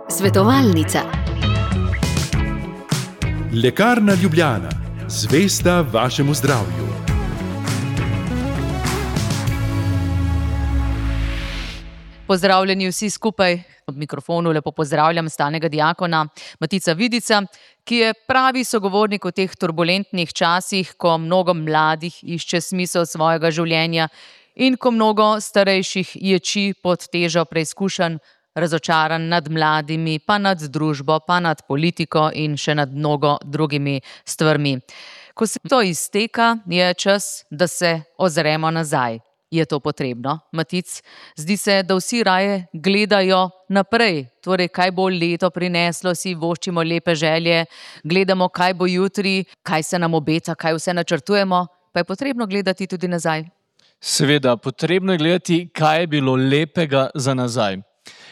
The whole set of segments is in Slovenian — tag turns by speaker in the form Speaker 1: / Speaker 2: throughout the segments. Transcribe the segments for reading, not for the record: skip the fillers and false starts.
Speaker 1: Svetovalnica.
Speaker 2: Lekarna Ljubljana, zvesta vašemu zdravju.
Speaker 3: Pozdravljeni vsi skupaj. Ob mikrofonu lepo pozdravljam stalnega diakona Matica Vidica, ki je pravi sogovornik v teh turbulentnih časih, ko mnogo mladih išče smisel svojega življenja in ko mnogo starejših ječi pod težo preizkušenj, razočaran nad mladimi, pa nad družbo, pa nad politiko in še nad mnogo drugimi stvarmi. Ko se to izteka, je čas, da se ozremo nazaj. Je to potrebno, Matic? Zdi se, da vsi raje gledajo naprej. Torej, kaj bo leto prineslo, si voščimo lepe želje, gledamo, kaj bo jutri, kaj se nam obeta, kaj vse načrtujemo, pa je potrebno gledati tudi nazaj.
Speaker 4: Seveda, potrebno je gledati, kaj je bilo lepega za nazaj.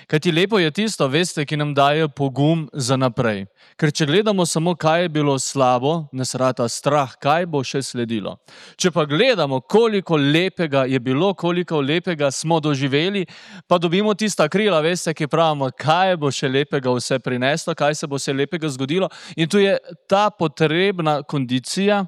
Speaker 4: Kajti lepo je tisto, veste, ki nam daje pogum za naprej. Ker če gledamo samo, kaj je bilo slabo, nas rata strah, kaj bo še sledilo. Če pa gledamo, koliko lepega je bilo, koliko lepega smo doživeli, pa dobimo tista krila, veste, ki pravimo, kaj bo še lepega vse prineslo, kaj se bo vse lepega zgodilo. In tu je ta potrebna kondicija,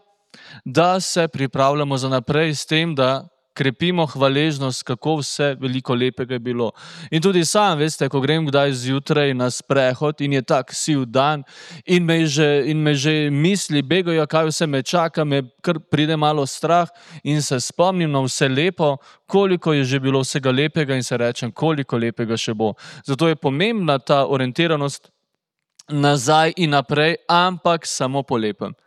Speaker 4: da se pripravljamo za naprej s tem, da krepimo hvaležnost, kako vse veliko lepega je bilo. In tudi sam, veste, ko grem kdaj zjutraj na sprehod in je tak siv dan in me že misli begajo, kaj vse me čaka, me kar pride malo strah in se spomnim na vse lepo, koliko je že bilo vsega lepega in se rečem, koliko lepega še bo. Zato je pomembna ta orientiranost nazaj in naprej, ampak samo po lepem.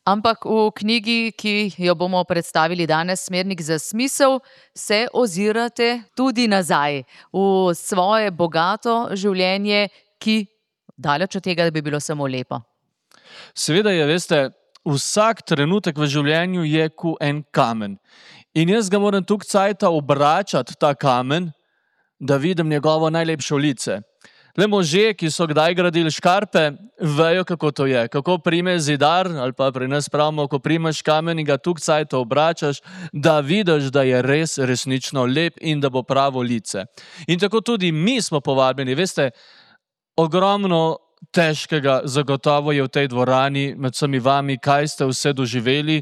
Speaker 3: Ampak v knjigi, ki jo bomo predstavili danes, Smernik za smisel, se ozirate tudi nazaj v svoje bogato življenje, ki daleč od tega, da bi bilo samo lepo.
Speaker 4: Seveda je, veste, vsak trenutek v življenju je kot en kamen. In jaz ga moram tukaj cajta obračati, ta kamen, da vidim njegovo najlepše lice. Le možje, ki so kdaj gradili škarpe, vejo, kako to je. Kako prime zidar, ali pa pri nas pravimo, ko primeš kamen in ga tukaj cajta obračaš, da vidiš, da je res resnično lep in da bo pravo lice. In tako tudi mi smo povabljeni. Veste, ogromno težkega zagotovo je v tej dvorani med vsemi vami, kaj ste vse doživeli,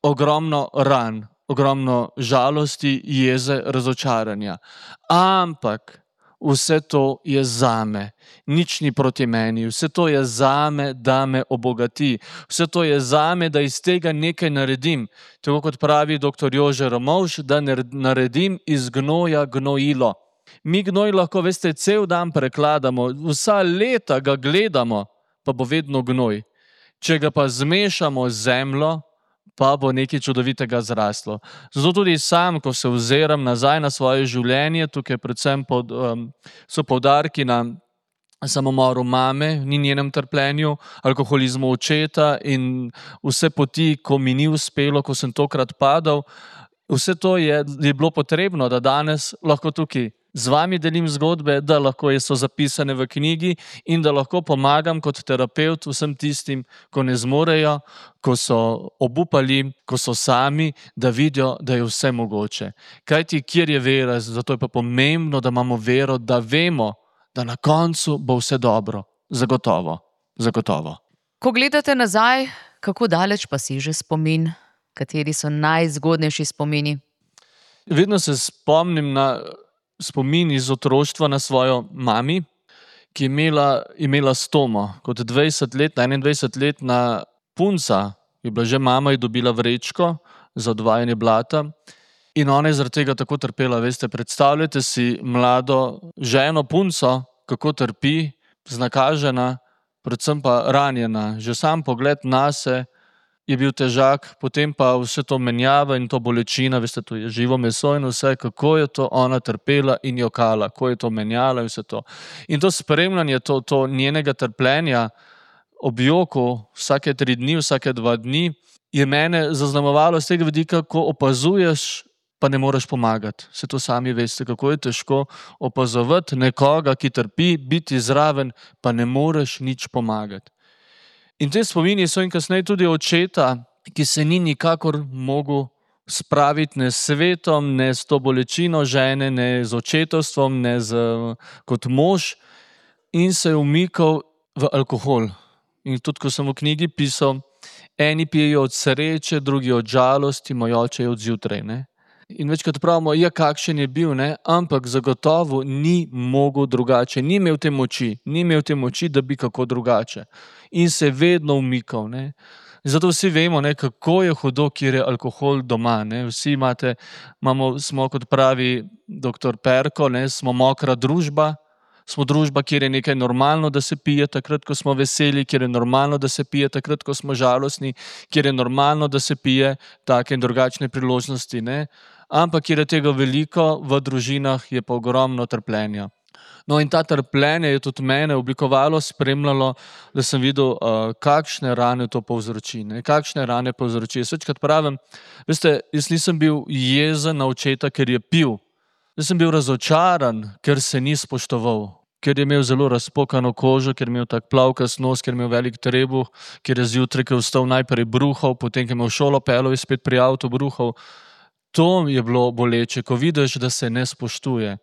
Speaker 4: ogromno ran, ogromno žalosti, jeze, razočaranja. Ampak vse to je zame, nič ni proti meni, vse to je zame, da me obogati, vse to je zame, da iz tega nekaj naredim. Tako kot pravi dr. Jože Ramovš, da naredim iz gnoja gnojilo. Mi gnoj lahko, veste, cel dan prekladamo, vsa leta ga gledamo, pa bo vedno gnoj. Če ga pa zmešamo z zemljo, pa bo nekaj čudovitega zraslo. Zato tudi sam, ko se oziram nazaj na svoje življenje, tukaj predvsem so poudarki na samomoru mame, ni njenem trpljenju, alkoholizmu očeta in vse poti, ko mi ni uspelo, ko sem tokrat padal, vse to je bilo potrebno, da danes lahko tukaj z vami delim zgodbe, da lahko so zapisane v knjigi in da lahko pomagam kot terapevt vsem tistim, ko ne zmorejo, ko so obupali, ko so sami, da vidijo, da je vse mogoče. Kajti, kjer je vera, zato je pa pomembno, da imamo vero, da vemo, da na koncu bo vse dobro. Zagotovo, zagotovo.
Speaker 3: Ko gledate nazaj, kako daleč pa si že spomin? Kateri so najzgodnejši spomini?
Speaker 4: Vedno se spomnim na spomin iz otroštva na svojo mami, ki je imela stomo. Kot 21-letna punca, je bila že mama, je dobila vrečko za odvajanje blata in ona je zaradi tega tako trpela. Veste, predstavljate si mlado ženo, punco, kako trpi, znakažena, predvsem pa ranjena. Že sam pogled nase je bil težak, potem pa vse to menjava in to bolečina, veste, to je živo meso in vse, kako je to ona trpela in jokala, kako je to menjala in vse to. In to spremljanje, to njenega trpljenja ob joku vsake 3 dni, vsake 2 dni, je mene zaznamovalo z tega vidika, ko opazuješ, pa ne moreš pomagati. Se to sami veste, kako je težko opazovati nekoga, ki trpi, biti zraven, pa ne moreš nič pomagati. In te spomini so in kasneje tudi očeta, ki se ni nikakor mogel spraviti ne s svetom, ne s to bolečino žene, ne z očetovstvom, ne kot mož, in se je umikal v alkohol. In tudi, ko sem v knjigi pisal, eni pijejo od sreče, drugi od žalosti, moj oče je od zjutraj. Ne? In večkrat pravimo, ja, kakšen je bil, ne? Ampak zagotovo ni mogel drugače, ni imel te moči, da bi kako drugače. In se je vedno umikal. Ne? Zato vsi vemo, ne, kako je hudo, kjer je alkohol doma. Ne? Vsi smo, kot pravi dr. Perko, ne, smo mokra družba, smo družba, kjer je nekaj normalno, da se pije takrat, ko smo veseli, kjer je normalno, da se pije takrat, ko smo žalostni, kjer je normalno, da se pije take in drugačne priložnosti. Ne? Ampak kjer je tega veliko, v družinah je pa ogromno trpljenja. No in ta trpljenje je tudi mene oblikovalo, spremljalo, da sem videl, kakšne rane to povzroči. Ne? Kakšne rane povzroči. Jaz večkrat pravim, veste, jaz nisem bil jezen na očeta, ker je pil. Jaz sem bil razočaran, ker se ni spoštoval, ker je imel zelo razpokano kožo, ker je imel tak plavkast nos, ker je imel velik trebuh, ker je zjutraj, ker je vstal najprej bruhal, potem, ker je imel šolo pelov in spet pri avtu bruhal. To je bilo boleče, ko vidiš, da se ne spoštuje.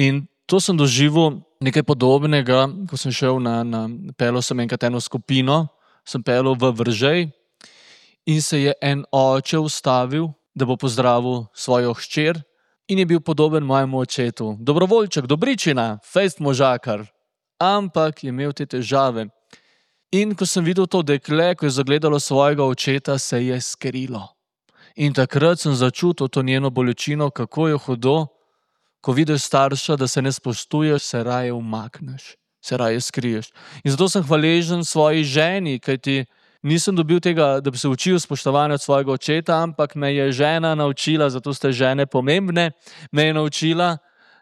Speaker 4: In to sem doživel nekaj podobnega, ko sem šel pelil sem enkrat eno skupino, sem pelil v Vržej in se je en oče ustavil, da bo pozdravil svojo hčer in je bil podoben mojemu očetu. Dobrovoljček, dobričina, fejst možakar, ampak je imel te težave. In ko sem videl to dekle, ko je zagledalo svojega očeta, se je skrilo. In takrat sem začutil to njeno bolečino, kako je hudo, ko vidiš starša, da se ne spoštuješ, se raje umakneš, se raje skriješ. In zato sem hvaležen svoji ženi, kajti nisem dobil tega, da bi se učil spoštovanja od svojega očeta, ampak me je žena naučila, zato ste žene pomembne, me je naučila,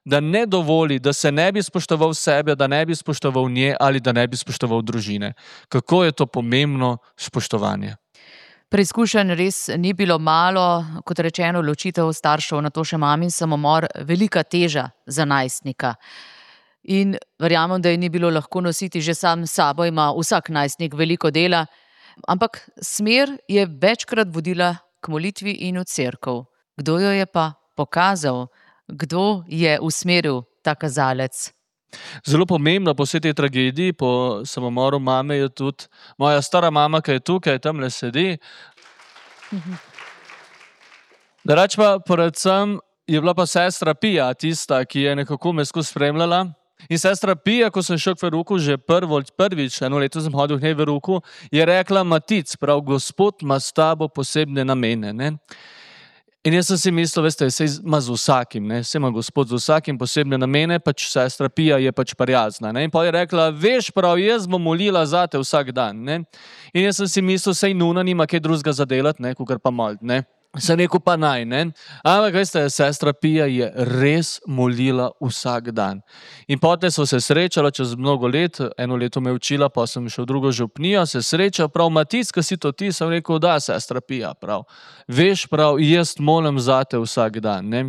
Speaker 4: da ne dovoli, da se ne bi spoštoval sebe, da ne bi spoštoval nje ali da ne bi spoštoval družine. Kako je to pomembno spoštovanje?
Speaker 3: Preizkušenj res ni bilo malo, kot rečeno, ločitev staršev, na to še mamin samomor, velika teža za najstnika. In verjamem, da je ni bilo lahko nositi, že sam s sabo ima vsak najstnik veliko dela, ampak smer je večkrat vodila k molitvi in v cerkev. Kdo jo je pa pokazal? Kdo je usmeril ta kazalec?
Speaker 4: Zelo pomembno po vsej tej tragediji, po samomoru mame, je tudi moja stara mama, ki je tukaj, tamle sedi. Drugače pa predvsem je bila pa sestra Pija tista, ki je nekako me skozi spremljala. In sestra Pija, ko sem šel k verouku, že prvič, eno leto sem hodil k njej v verouku, je rekla: Matic, prav, Gospod ima s tabo posebne namene. Ne? In jaz sem si mislil, veste, saj ima z vsakim, ne? Saj ima Gospod z vsakim posebne namene, pač sestra Pija je pač prijazna. Ne? In pa je rekla: veš prav, jaz bom molila zate vsak dan. Ne? In jaz sem si mislil, saj nuna nima kaj drugega za delati, kakor pa molt, ne. Sem rekel, pa naj, ne. Ampak, veste, sestra Pija je res molila vsak dan. In potem so se srečala čez mnogo let, eno leto me učila, pa sem šel drugo župnijo, se srečal, prav, Matic, kaj si to ti? Sem rekel, da, sestra Pija, prav. Veš prav, jaz molim zate vsak dan, ne.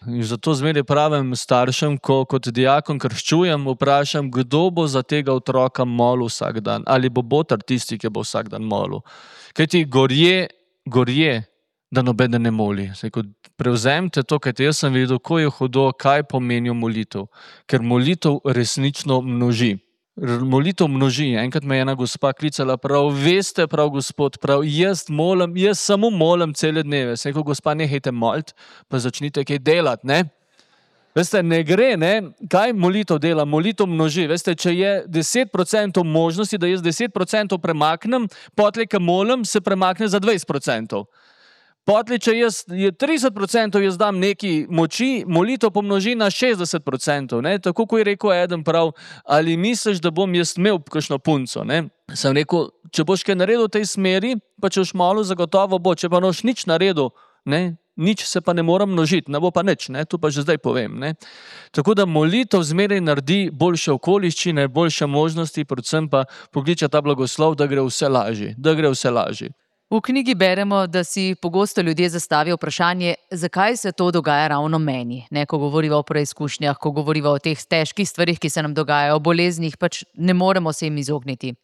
Speaker 4: In zato zmeraj pravim staršem, ko kot dijakon krščujem, vprašam, kdo bo za tega otroka molil vsak dan, ali bo botar tisti, ki bo vsak dan molil. Kajti gorje, da nobeden ne moli. Prevzemite to, kajte jaz sem videl, ko je hudo, kaj pomenijo molitev. Ker molitev resnično množi. Molitev množi. Enkrat me je ena gospa klicala, prav, veste prav, Gospod, prav, jaz samo molim cele dneve. Sem rekel, gospa, nehajte moliti, pa začnite kaj delati, ne? Veste, ne gre, ne? Kaj molitev dela? Molitev množi. Veste, če je 10% možnosti, da jaz 10% premaknem, potlej, ko molim, se premakne za 20%. Potlej, če je 30%, jaz dam neki moči, molitev pomnoži na 60%. Ne? Tako, ko je rekel eden prav, ali misliš, da bom jaz imel kakšno punco? Ne? Sem rekel, če boš kaj naredil v tej smeri, pa če boš malo zagotovo bo, če pa noš nič naredil, ne? Nič se pa ne mora množiti, ne bo pa nič, ne? To pa že zdaj povem. Ne? Tako da molitev zmeraj naredi boljše okoliščine, boljše možnosti, predvsem pa pokliče ta blagoslov, da gre vse lažje.
Speaker 3: V knjigi beremo, da si pogosto ljudje zastavijo vprašanje, zakaj se to dogaja ravno meni. Ne, ko govoriva o preizkušnjah, ko govoriva o teh težkih stvarih, ki se nam dogajajo, o boleznih, pač ne moremo se jim izogniti.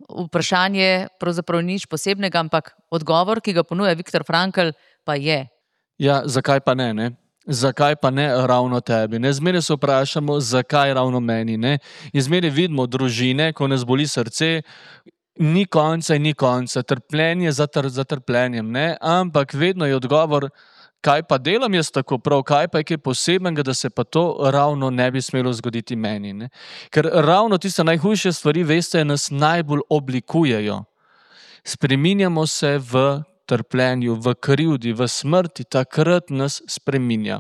Speaker 3: Vprašanje pravzaprav nič posebnega, ampak odgovor, ki ga ponuja Viktor Frankl, pa je?
Speaker 4: Ja, zakaj pa ne, ne? Zakaj pa ne ravno tebi? Ne? Zmeraj se vprašamo, zakaj ravno meni, ne? In zmeraj vidimo družine, ko nas boli srce, ni konca in ni konca, trpljenje za trpljenjem, ne? Ampak vedno je odgovor, kaj pa delam jaz tako prav, kaj pa je kaj posebenega, da se pa to ravno ne bi smelo zgoditi meni, ne? Ker ravno tiste najhujše stvari, veste, nas najbolj oblikujejo. Spreminjamo se v trpljenju, v krivdi, v smrti, takrat nas spreminja.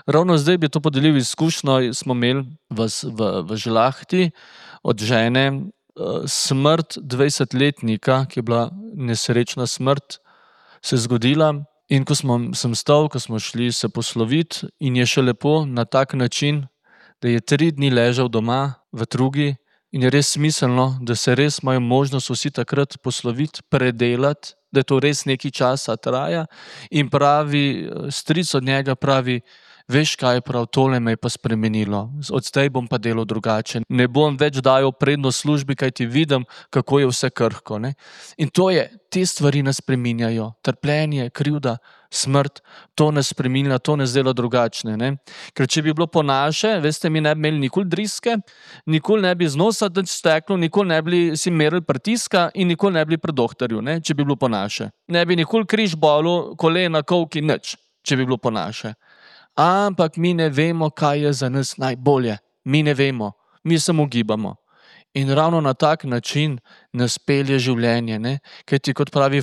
Speaker 4: Ravno zdaj bi to podelil izkušnjo, smo imeli v Žlahti od žene smrt 20-letnika, ki je bila nesrečna smrt, se je zgodila in ko sem stal, ko smo šli se posloviti in je še lepo na tak način, da je 3 dni ležal doma v Trugi in je res smiselno, da se res imajo možnost vsi takrat posloviti, predelati, da je to res nekaj časa traja in pravi, stric od njega pravi, veš kaj prav, tole me je pa spremenilo, od zdaj bom pa delal drugače, ne bom več dajal prednost službi, kaj ti vidim, kako je vse krhko, ne. In to je, te stvari nas spreminjajo, trpljenje, krivda, smrt, to nas spreminja, to nas dela drugačne, ne. Ker če bi bilo po naše, veste, mi ne bi imeli nikoli driske, nikoli ne bi z nosa steklo, nikoli ne bi si merili pritiska in nikoli ne bi pri doktorju, ne, če bi bilo po naše. Ne bi nikoli križ bolel, kolena, kolki, nič, če bi bilo po naše. Ampak mi ne vemo, kaj je za nas najbolje. Mi ne vemo, mi samo gibamo. In ravno na tak način nas pelje življenje, ne? Ker ti, kot pravi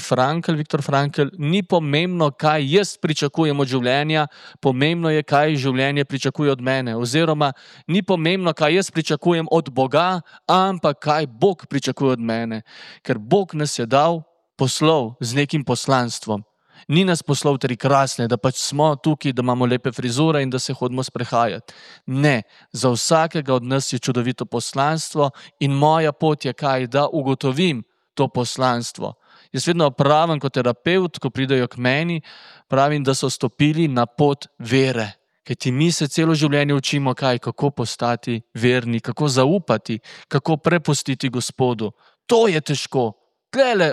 Speaker 4: Viktor Frankl, ni pomembno, kaj jaz pričakujem od življenja, pomembno je, kaj življenje pričakuje od mene. Oziroma, ni pomembno, kaj jaz pričakujem od Boga, ampak kaj Bog pričakuje od mene. Ker Bog nas je dal poslov z nekim poslanstvom. Ni nas poslal 3 krasne, da pač smo tukaj, da imamo lepe frizure in da se hodimo sprehajati. Ne, za vsakega od nas je čudovito poslanstvo in moja pot je kaj, da ugotovim to poslanstvo. Jaz vedno pravim kot terapeut, ko pridejo k meni, pravim, da so stopili na pot vere. Kajti mi se celo življenje učimo kaj, kako postati verni, kako zaupati, kako prepustiti Gospodu. To je težko. Tlele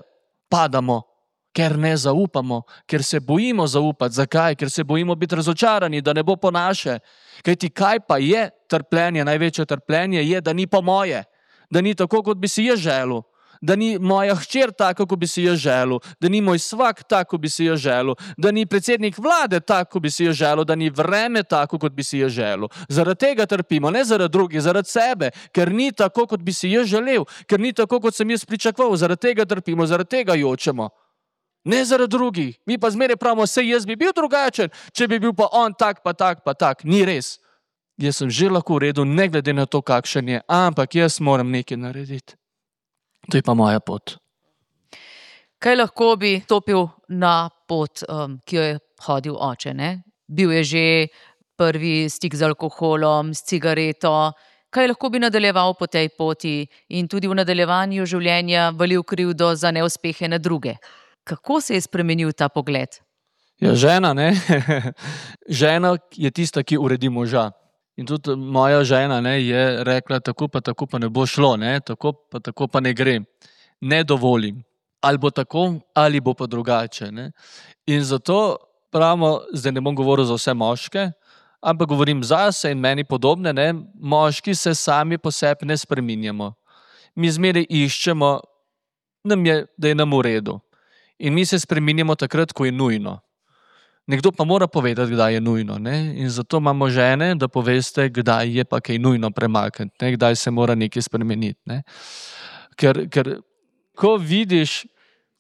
Speaker 4: padamo. Ker ne zaupamo, ker se bojimo zaupati. Zakaj? Ker se bojimo biti razočarani, da ne bo po naše. Kajti kaj pa je trpljenje, največje trpljenje je, da ni po moje. Da ni tako, kot bi si jaz želel. Da ni moja hčer tako, kot bi si jaz želel. Da ni moj svak tako, kot bi si jaz želel. Da ni predsednik vlade tako, kot bi si jaz želel. Da ni vreme tako, kot bi si jaz želel. Zaradi tega trpimo, ne zaradi drugih, zaradi sebe. Ker ni tako, kot bi si jaz želel. Ker ni tako, kot sem jaz pričakoval. Zaradi tega trpimo, zaradi tega jočemo. Ne zaradi drugih. Mi pa zmeraj pravimo, sej jaz bi bil drugačen, če bi bil pa on tak, pa tak, pa tak. Ni res. Jaz sem že lahko v redu, ne glede na to, kakšen je, ampak jaz moram nekaj narediti. To je pa moja pot.
Speaker 3: Kaj lahko bi stopil na pot, ki jo je hodil oče, ne? Bil je že prvi stik z alkoholom, s cigareto. Kaj lahko bi nadaljeval po tej poti in tudi v nadaljevanju življenja valil krivdo za neuspehe na druge? Kako se je spremenil ta pogled?
Speaker 4: Ja, žena, ne? Žena je tista, ki uredi moža. In tudi moja žena, ne, je rekla, tako pa ne bo šlo, ne? Tako pa ne gre. Ne dovolim. Ali bo tako, ali bo pa drugače, ne? In zato pravimo, zdaj ne bom govoril za vse moške, ampak govorim zase in meni podobne, ne? Moški se sami po sebi ne spreminjamo. Mi zmeraj iščemo, da je nam v redu. In mi se spreminjamo takrat, ko je nujno. Nekdo pa mora povedati, kdaj je nujno, ne? In zato imamo žene, da poveste, kdaj je pa kaj nujno premakniti, ne? Kdaj se mora nekaj spremeniti, ne? Ker ko vidiš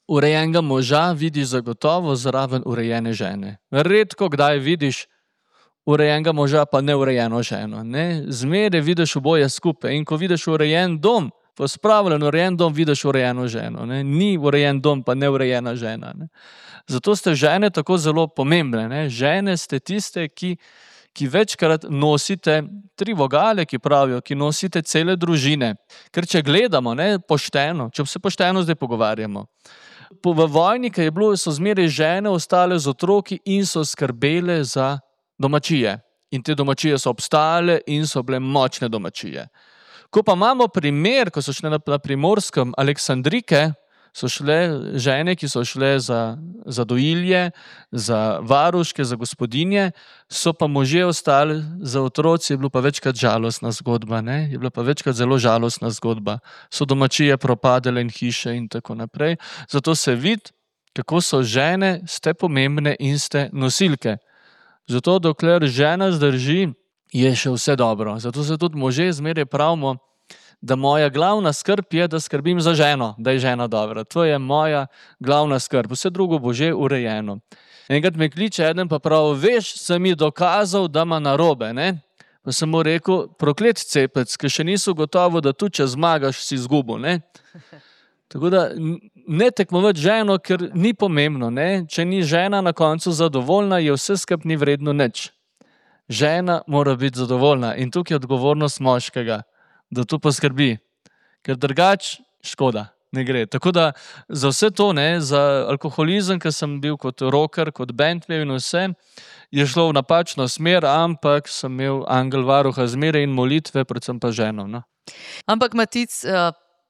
Speaker 4: urejenega moža, vidiš zagotovo zraven urejene žene. Redko kdaj vidiš urejenega moža pa neurejeno ženo, ne? Zmeraj vidiš oboje skupaj in ko vidiš urejen dom, pospravljen, urejen dom, vidiš urejeno ženo, ne? Ni urejen dom, pa neurejena žena, ne? Zato ste žene tako zelo pomembne, ne? Žene ste tiste, ki večkrat nosite 3 vogale, ki pravijo, ki nosite cele družine. Ker če gledamo, ne, pošteno, če se pošteno zdaj pogovarjamo, v vojni, ki je bilo, so zmeraj žene ostale z otroki in so skrbele za domačije. In te domačije so obstale in so bile močne domačije. Ko pa imamo primer, ko so šli na Primorskem Aleksandrike, So šle žene, ki so šle za dojilje, za varuške, za gospodinje, so pa možje ostali za otroci, je bila pa večkrat žalostna zgodba, ne? Je bila pa večkrat zelo žalostna zgodba. So domačije propadale in hiše in tako naprej. Zato se vidi, kako so žene, ste pomembne in ste nosilke. Zato dokler žena zdrži, je še vse dobro. Zato se tudi možje zmeraj pravimo, da moja glavna skrb je, da skrbim za ženo, da je žena dobra. To je moja glavna skrb. Vse drugo bo že urejeno. Enkrat me kliče eden pa pravi, veš, sem mi dokazal, da ima narobe, ne? Pa sem mu rekel, proklet cepec, ki še niso gotovo, da tu, če zmagaš, si izgubil, ne? Tako da ne tekmovati ženo, ker ni pomembno, ne? Če ni žena na koncu zadovoljna, je vse skupaj ni vredno nič. Žena mora biti zadovoljna in tukaj je odgovornost moškega, da to poskrbi, ker drugač škoda, ne gre. Tako da za vse to, ne, za alkoholizem, ker sem bil kot rocker, kot bandmate in vse, je šlo v napačno smer, ampak sem imel angel varuha zmeraj in molitve, predvsem pa ženo. No.
Speaker 3: Ampak Matic,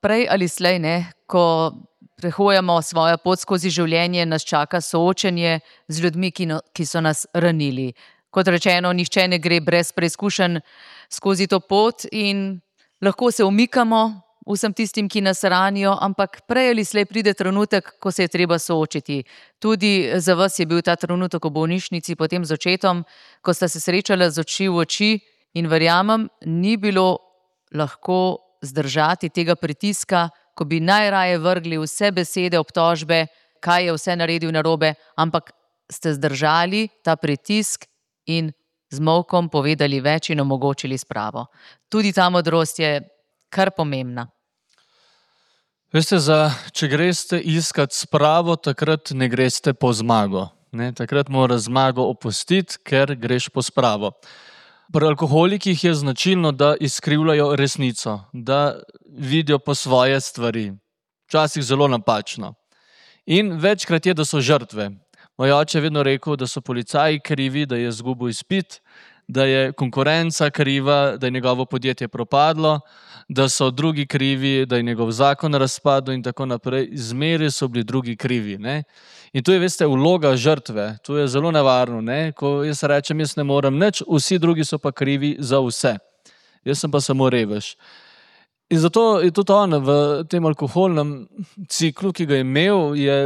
Speaker 3: prej ali slej, ne, ko prehojamo svojo pot skozi življenje, nas čaka soočenje z ljudmi, ki so nas ranili. Kot rečeno, nihče ne gre brez preizkušenj skozi to pot in lahko se umikamo vsem tistim, ki nas ranijo, ampak prej ali slej pride trenutek, ko se je treba soočiti. Tudi za vas je bil ta trenutek v bolnišnici potem z očetom, ko sta se srečala z oči v oči in verjamem, ni bilo lahko zdržati tega pritiska, ko bi najraje vrgli vse besede, obtožbe, kaj je vse naredil narobe, ampak ste zdržali ta pritisk in z molkom povedali več in omogočili spravo. Tudi ta modrost je kar pomembna.
Speaker 4: Veste, če greste iskat spravo, takrat ne greste po zmago. Ne? Takrat mora zmago opustiti, ker greš po spravo. Pri alkoholikih je značilno, da izkrivljajo resnico, da vidijo po svoje stvari. Včasih zelo napačno. In večkrat je, da so žrtve. Moj oče je vedno rekel, da so policaji krivi, da je izgubil izpit, da je konkurenca kriva, da je njegovo podjetje propadlo, da so drugi krivi, da je njegov zakon razpadel in tako naprej. Zmeraj so bili drugi krivi. Ne? In tu je, veste, vloga žrtve. Tu je zelo nevarno. Ne? Ko jaz rečem, jaz ne morem nič, vsi drugi so pa krivi za vse. Jaz sem pa samo revež. In zato je tudi on v tem alkoholnem ciklu, ki ga je imel, je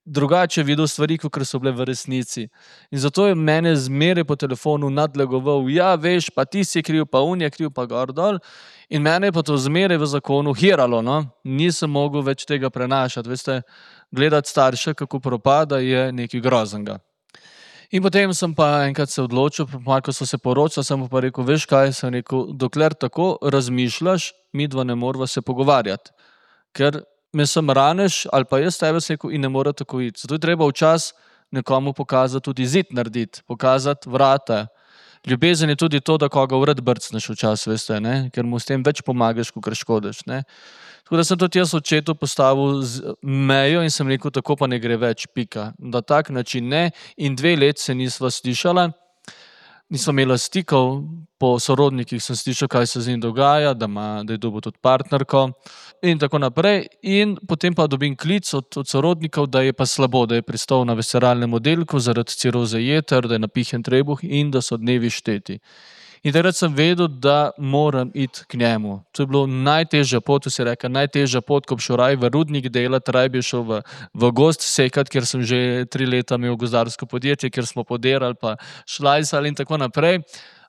Speaker 4: drugače videl stvari, kot so bile v resnici. In zato je mene zmeraj po telefonu nadlegoval, ja, veš, pa ti si kriv, pa on je kriv, pa gor dol. In mene je pa to zmeraj v zakonu hiralo, no. Nisem mogel več tega prenašati. Veste, gledati starše, kako propada, je nekaj groznega. In potem sem pa enkrat se odločil, ko so se poročali, sem pa rekel, veš kaj, sem rekel, dokler tako razmišljaš, midva ne morava se pogovarjati. Ker me sem raneš, ali pa jaz tebe rekel in ne mora tako iti. Zato je treba včas nekomu pokazati tudi zid narediti, pokazati vrata. Ljubezen je tudi to, da koga vred brcneš včas, veste, ne? Ker mu s tem več pomagaš, kot škodiš. Ne? Tako da sem tudi jaz očetu postavil mejo in sem rekel, tako pa ne gre več, pika. Na tak način ne in 2 leti se nisva slišala. Nisva imela stikov, po sorodnikih sem slišal, kaj se z njim dogaja, da je dobil tudi partnerko in tako naprej. In potem pa dobim klic od sorodnikov, da je pa slabo, da je pristal na visceralnem oddelku zaradi ciroze jeter, da je napihnjen trebuh in da so dnevi šteti. In takrat sem vedel, da moram iti k njemu. To je bilo najtežja pot, si rekel, najtežja pot, ko bi šel raj v rudnik delati, raj bi šel v gozd sekati, ker sem že 3 leta imel gozdarsko podjetje, ker smo podirali pa šlajsali in tako naprej.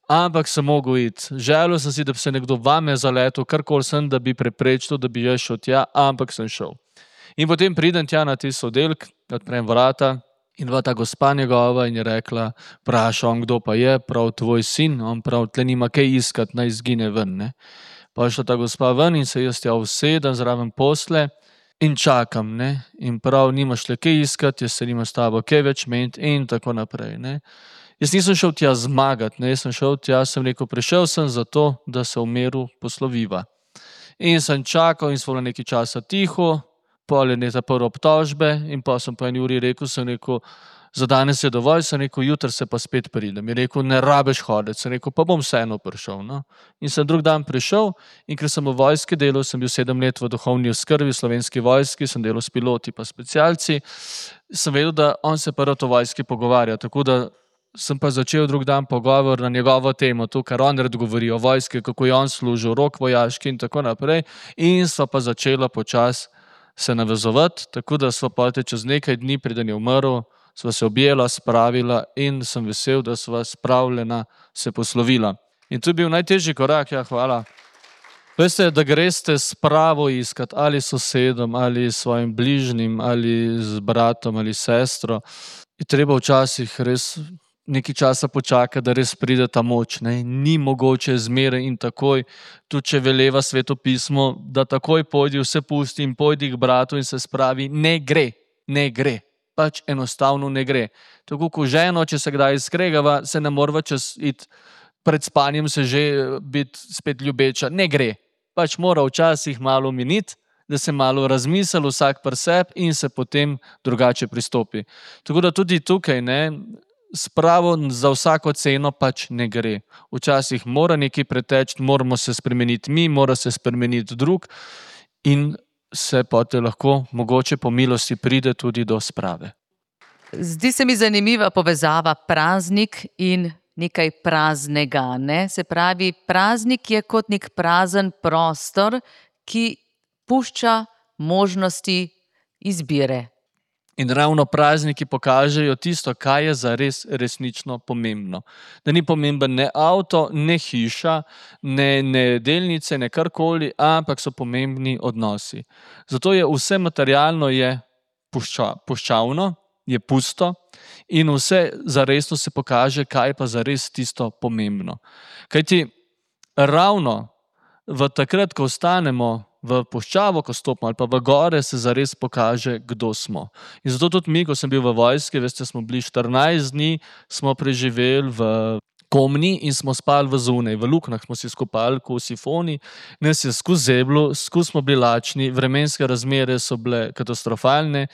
Speaker 4: Ampak sem mogel iti. Želel sem si, da bi se nekdo vame zaletel, karkoli sem, da bi preprečil, da bi jaz šel tja, ampak sem šel. In potem pridem tja na tisti oddelek, odprem vrata, in ta gospa njegova in je rekla, vpraša on, kdo pa je, prav tvoj sin, on prav, tle nima kaj iskati, naj izgine ven. Ne? Pa je šla ta gospa ven in se jaz tja usedem zraven posle in čakam. Ne? In prav, nimaš le kaj iskati, jaz se nimam s tabo kaj več meniti in tako naprej. Ne? Jaz nisem šel tja zmagati, ne? Jaz sem šel tja, sem rekel, prišel sem zato, da se v miru posloviva. In sem čakal in smo nekaj časa tiho, pol je ta prve obtožbe in pa sem po 1 uri rekel, za danes je dovolj, sem rekel, jutri se pa spet pridem. Je rekel, ne rabiš hoditi, sem rekel, pa bom vseeno prišel. No? In sem drug dan prišel in ker sem v vojski delal, sem bil 7 let v duhovni oskrbi v Slovenski vojski, sem delal s piloti pa specialci, sem vedel, da on se pa rad o vojski pogovarja, tako da sem pa začel drug dan pogovor na njegovo temo, to, kar on rad govori o vojski, kako je on služil, rok vojaški in tako naprej, in sva pa začela počasi se navezovati, tako da sva pa čez nekaj dni, preden je umrl, sva se objela, spravila in sem vesel, da sva spravljena se poslovila. In to je bil najtežji korak, ja, hvala. Veste, da greste spravo iskat ali sosedom, ali svojim bližnjim, ali z bratom, ali sestro, je treba včasih res nekaj časa počakati, da res pride ta moč. Ne? Ni mogoče zmeraj in takoj, tudi če veleva Sveto pismo, da takoj pojdi, vse pusti in pojdi k bratu in se spravi, ne gre. Pač enostavno ne gre. Tako kot ženo, če se kdaj skregava, se ne morava čez iti pred spanjem se že biti spet ljubeča. Ne gre. Pač mora včasih malo miniti, da se malo razmisli vsak pri sebi in se potem drugače pristopi. Tako da tudi tukaj, ne, spravo za vsako ceno pač ne gre. Včasih mora nekaj preteči, moramo se spremeniti mi, mora se spremeniti drug in se potem lahko mogoče po milosti pride tudi do sprave.
Speaker 3: Zdi se mi zanimiva povezava praznik in nekaj praznega. Ne? Se pravi, praznik je kot nek prazen prostor, ki pušča možnosti izbire.
Speaker 4: In ravno prazniki pokažejo tisto, kaj je zares resnično pomembno. Da ni pomemben ne avto, ne hiša, ne delnice, ne karkoli, ampak so pomembni odnosi. Zato je vse materialno je puščavno, je pusto in vse zaresno se pokaže, kaj je pa zares tisto pomembno. Kajti ravno v takrat, ko ostanemo v puščavo, ko stopimo ali pa v gore, se zares pokaže, kdo smo. In zato tudi mi, ko sem bil v vojski, veste, smo bili 14 dni, smo preživeli v Komni in smo spali v zunaj, v luknjah smo si skopali kot sifoni, nas je skozi zeblo, skozi smo bili lačni, vremenske razmere so bile katastrofalne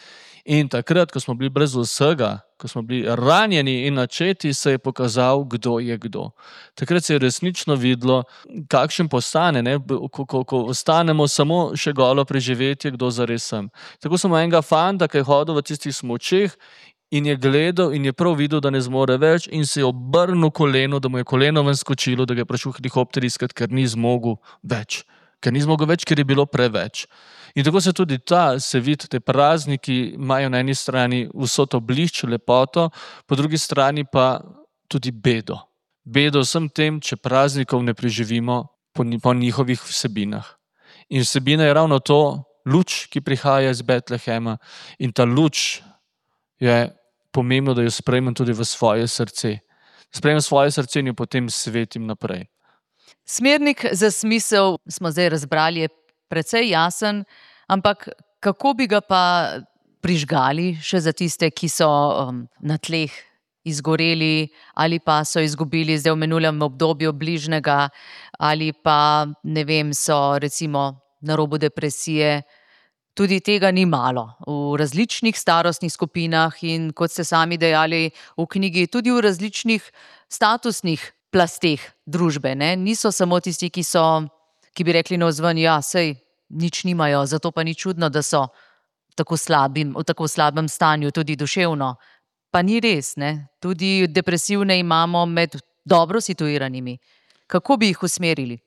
Speaker 4: in takrat, ko smo bili brez vsega, ko smo bili ranjeni in načeti, se je pokazal, kdo je kdo. Takrat se je resnično videlo, kakšen postane, ne? Ko ostanemo samo še golo preživetje, kdo zares sem. Tako smo enega fanta, ki je hodil v tistih smučeh in je gledal in je prav videl, da ne zmore več in se je obrnil koleno, da mu je koleno ven skočilo, da ga je prišel helikopter iskat, ker ni zmogel več. Ker je bilo preveč. In tako se tudi se vidi, te prazniki imajo na eni strani vso to blišč, lepoto, po drugi strani pa tudi bedo. Bedo vsem tem, če praznikov ne preživimo po njihovih vsebinah. In vsebina je ravno to, luč, ki prihaja iz Betlehema in ta luč je pomembno, da jo sprejmem tudi v svoje srce. Sprejmem svoje srce in jo potem svetim naprej.
Speaker 3: Smernik za smisel smo zdaj razbrali, je precej jasen, ampak kako bi ga pa prižgali še za tiste, ki so na tleh izgoreli ali pa so izgubili zdaj v minulem obdobju bližnjega ali pa, ne vem, so recimo na robu depresije. Tudi tega ni malo v različnih starostnih skupinah in kot ste sami dejali v knjigi, tudi v različnih statusnih plasteh družbe. Ne? Niso samo tisti, ki bi rekli navzven, ja, sej nič nimajo, zato pa ni čudno, da so v tako slabem stanju, tudi duševno. Pa ni res, ne? Tudi depresivne imamo med dobro situiranimi. Kako bi jih usmerili?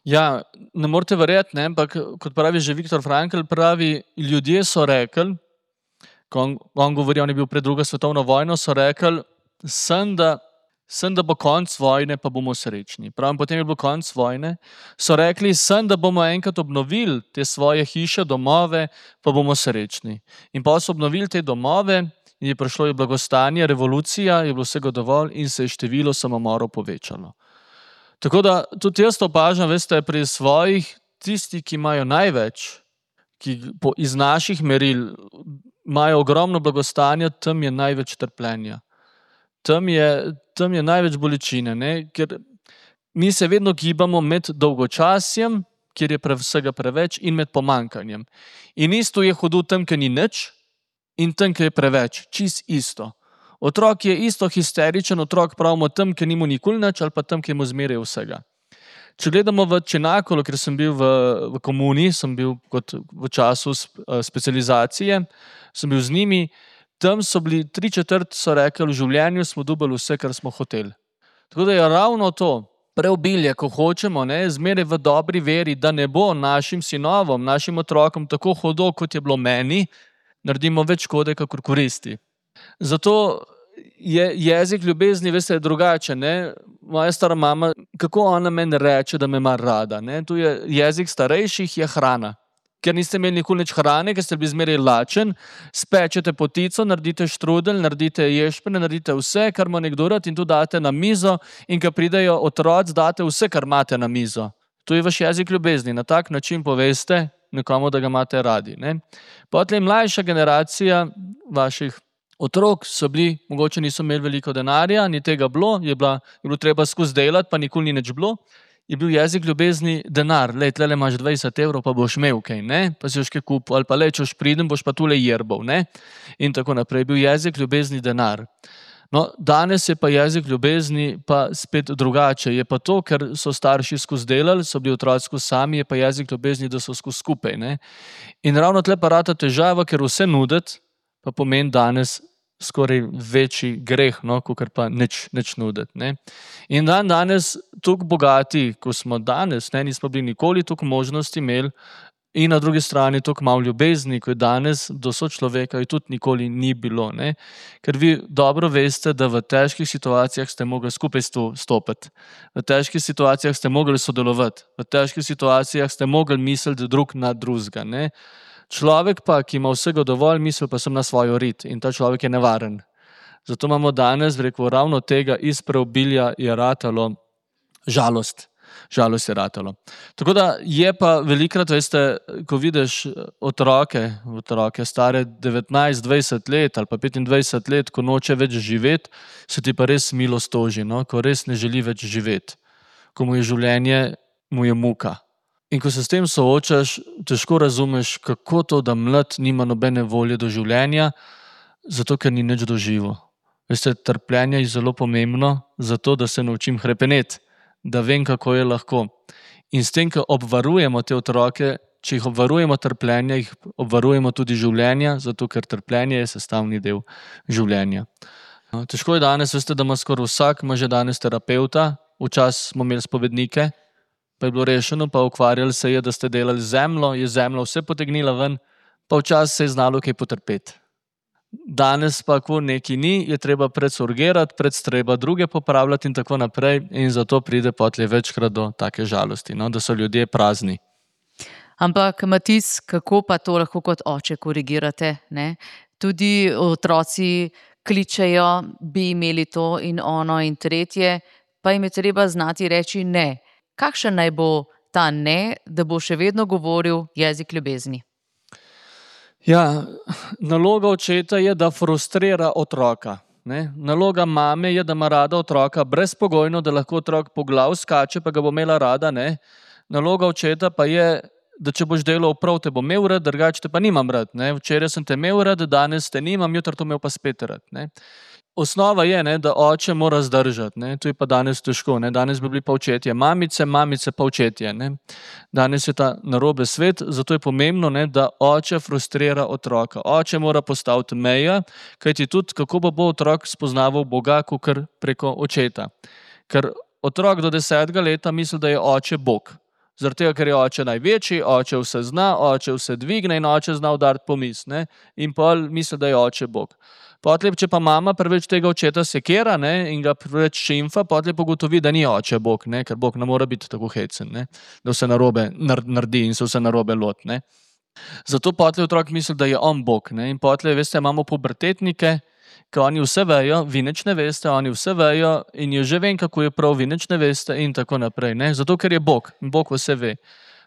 Speaker 4: Ja, ne morete verjeti, ne? Ampak kot pravi že Viktor Frankl, pravi, ljudje so rekli, ko on govori, on je bil pred drugo svetovno vojno, so rekli, sem, da bo konc vojne, pa bomo srečni. Pravim, potem je bil konc vojne, so rekli, sem, da bomo enkrat obnovili te svoje hiše, domove, pa bomo srečni. In pa so obnovili te domove, in je prišlo je blagostanje, revolucija, je bilo vsega dovolj in se je število samomorov povečalo. Tako da tudi jaz to opažam, veste, pri svojih, tisti, ki imajo največ, ki iz naših meril imajo ogromno blagostanja, tam je največ trpljenja. Tam je največ bolečine, ne? Ker mi se vedno gibamo med dolgočasjem, kjer je vsega preveč, in med pomanjkanjem. In isto je hudo tam, ker ni nič, in tam, ker je preveč. Čist isto. Otrok je isto histeričen otrok, pravimo tam, ki ni mu nikoli nič, ali pa tam, ki mu zmeraj vsega. Če gledamo v Čenakolu, ker sem bil v komuni, sem bil v času specializacije, sem bil z njimi, tam so bili 3/4 so rekli, v življenju smo dobili vse, kar smo hoteli. Tako da je ravno to preobilje, ko hočemo, zmeraj v dobri veri, da ne bo našim sinovom, našim otrokom tako hudo, kot je bilo meni, naredimo več škode, kakor koristi. Zato je jezik ljubezni, veste, drugačen. Moja stara mama, kako ona meni reče, da me ima rada. Tu je jezik starejših, je hrana. Ker niste imeli nikoli nič hrane, ker ste bili zmeraj lačen, spečete potico, naredite štrudelj, naredite ješpene, naredite vse, kar ima nekdo rad in to date na mizo in ko pridejo otroci, date vse, kar imate na mizo. To je vaš jezik ljubezni. Na tak način poveste nekomu, da ga imate radi. Potem mlajša generacija vaših otrok so bili, mogoče niso imeli veliko denarja, ni tega bilo, je bilo treba skozi delati, pa nikoli ni nič bilo. Je bil jezik ljubezni denar. Tle imaš 20 evrov, pa boš imel kaj, pa si boš kaj kupil, ali pa češ pridem, boš pa tule jerbal, in tako naprej. Je bil jezik ljubezni denar. No, danes je pa jezik ljubezni pa spet drugače. Je pa to, ker so starši skozi delali, so bili otroci skozi sami, je pa jezik ljubezni, da so skozi skupaj. In ravno tle pa rata težava, ker vse nuditi, pa pomeni danes skoraj večji greh, kakor pa nič nuditi. In danes, toliko bogati, ko smo danes, nismo bili nikoli toliko možnosti imeli, in na drugi strani toliko malo ljubezni, ko je danes do sočloveka, je tudi nikoli ni bilo. Ker vi dobro veste, da v težkih situacijah ste mogli skupaj stopiti. V težkih situacijah ste mogli sodelovati. V težkih situacijah ste mogli misliti drug na drugega. Človek pa, ki ima vsega dovolj, misli pa sem na svojo rit in ta človek je nevaren. Zato imamo danes, ravno tega iz preobilja je ratalo žalost. Žalost je ratalo. Tako da je pa velikrat, veste, ko vidiš otroke stare 19-20 let ali pa 25 let, ko noče več živeti, se ti pa res milost toži, ko res ne želi več živeti. Ko mu je življenje, mu je muka. In ko se s tem soočaš, težko razumeš, kako to, da mlad nima nobene volje do življenja, zato ker ni nič doživel. Veste, trpljenje je zelo pomembno, zato da se naučim hrepeneti, da vem, kako je lahko. In s tem, ko obvarujemo te otroke, če jih obvarujemo trpljenja, jih obvarujemo tudi življenja, zato ker trpljenje je sestavni del življenja. Težko je danes, veste, da ima skoraj vsak, ima že danes terapeuta, včasih smo imeli spovednike, pa je bilo rešeno, pa ukvarjali se je, da ste delali zemljo, je zemlja vse potegnila ven, pa včasih se je znalo kaj potrpeti. Danes pa, ko neki ni, je treba predsurgirati, treba druge popravljati in tako naprej in zato pride potlej večkrat do take žalosti, da so ljudje prazni.
Speaker 3: Ampak, Matic, kako pa to lahko kot oče korigirate? Tudi otroci kličejo, bi imeli to in ono in tretje, pa jim je treba znati reči ne. Kakšen naj bo ta ne, da bo še vedno govoril jezik ljubezni?
Speaker 4: Ja, naloga očeta je, da frustrira otroka. Naloga mame je, da ima rada otroka brezpogojno, da lahko otrok po glav skače, pa ga bo imela rada. Naloga očeta pa je, da če boš delal prav, te bo imel rad, drugače te pa nimam rad. Včeraj sem te imel rad, danes te nimam, jutri to imel pa spet rad. Osnova je, da oče mora zdržati. To je pa danes težko. Danes bi bili pa očetje mamice, mamice pa očetje. Danes je ta narobe svet, zato je pomembno, da oče frustrira otroka. Oče mora postaviti meje, kajti tudi kako bo otrok spoznaval Boga, kakor preko očeta. Ker otrok do 10. leta misli, da je oče Bog. Zaradi tega, ker je oče največji, oče vse zna, oče vse dvigne in oče zna udariti po misli. In pol misli, da je oče Bog. Potlej, če pa mama preveč tega očeta sekira in ga preveč šimfa, potlej pogotovi, da ni oče Bog, ker Bog ne mora biti tako hecen, da vse narobe naredi in se vse narobe loti. Zato potlej otrok misli, da je on Bog. In potlej, veste, imamo pubertetnike, ki oni vse vejo, vi nič ne veste, oni vse vejo in jo že vem, kako je prav, vi nič ne veste in tako naprej. Zato, ker je Bog in Bog vse ve.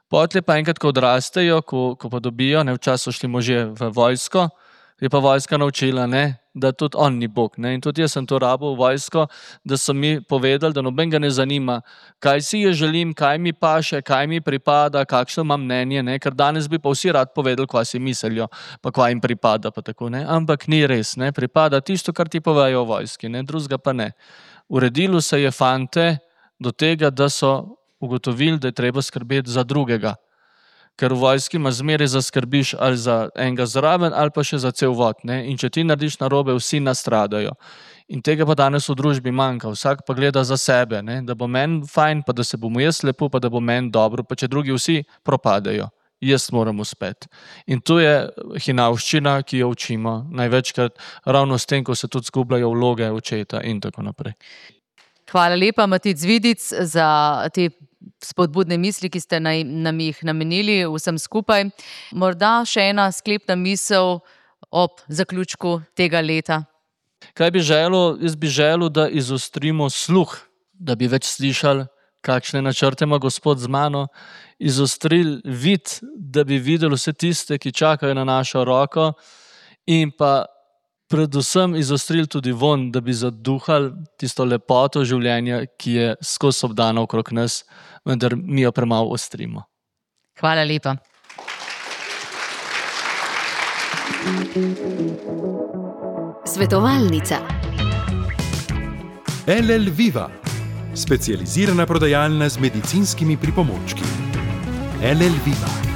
Speaker 4: Potlej pa enkrat, ko odrastejo, ko pa dobijo, včasih so šli možje v vojsko, je pa vojska naučila, ne, da tudi on ni Bog. Ne. In tudi jaz sem to rabil v vojsko, da so mi povedali, da nobenega ne zanima, kaj si je želim, kaj mi paše, kaj mi pripada, kakšno imam mnenje, ne. Ker danes bi pa vsi rad povedali, kva si mislijo, pa kva jim pripada. Pa tako, ne. Ampak ni res, ne. Pripada tisto, kar ti povejo v vojski, ne. Drugega pa ne. Uredilo se je fante do tega, da so ugotovili, da je treba skrbeti za drugega. Ker v vojski imaš zmeraj zaskrbiš ali za enega zraven ali pa še za cel vod. Ne? In če ti narediš narobe, vsi nastradajo. In tega pa danes v družbi manjka. Vsak pa gleda za sebe, ne? Da bo meni fajn, pa da se bom jaz lepo, pa da bo meni dobro, pa če drugi vsi propadajo. Jaz moram uspeti. In to je hinavščina, ki jo učimo največkrat ravno s tem, ko se tudi zgubljajo vloge očeta in tako naprej.
Speaker 3: Hvala lepa, Matic Vidic, za te spodbudne misli, ki ste nam jih namenili vsem skupaj. Morda še ena sklepna misel ob zaključku tega leta.
Speaker 4: Kaj bi želel? Jaz bi želel, da izostrimo sluh, da bi več slišali, kakšne načrte ima Gospod z mano, izostrili vid, da bi videli vse tiste, ki čakajo na našo roko, in pa predvsem izostrili tudi von, da bi zaduhali tisto lepoto življenja, ki je skozi obdana okrog nas, vendar mi jo premalo ostrimo.
Speaker 3: Hvala lepa.
Speaker 1: Svetovalnica.
Speaker 2: LL Viva, specializirana prodajalna z medicinskimi pripomočki. LL Viva.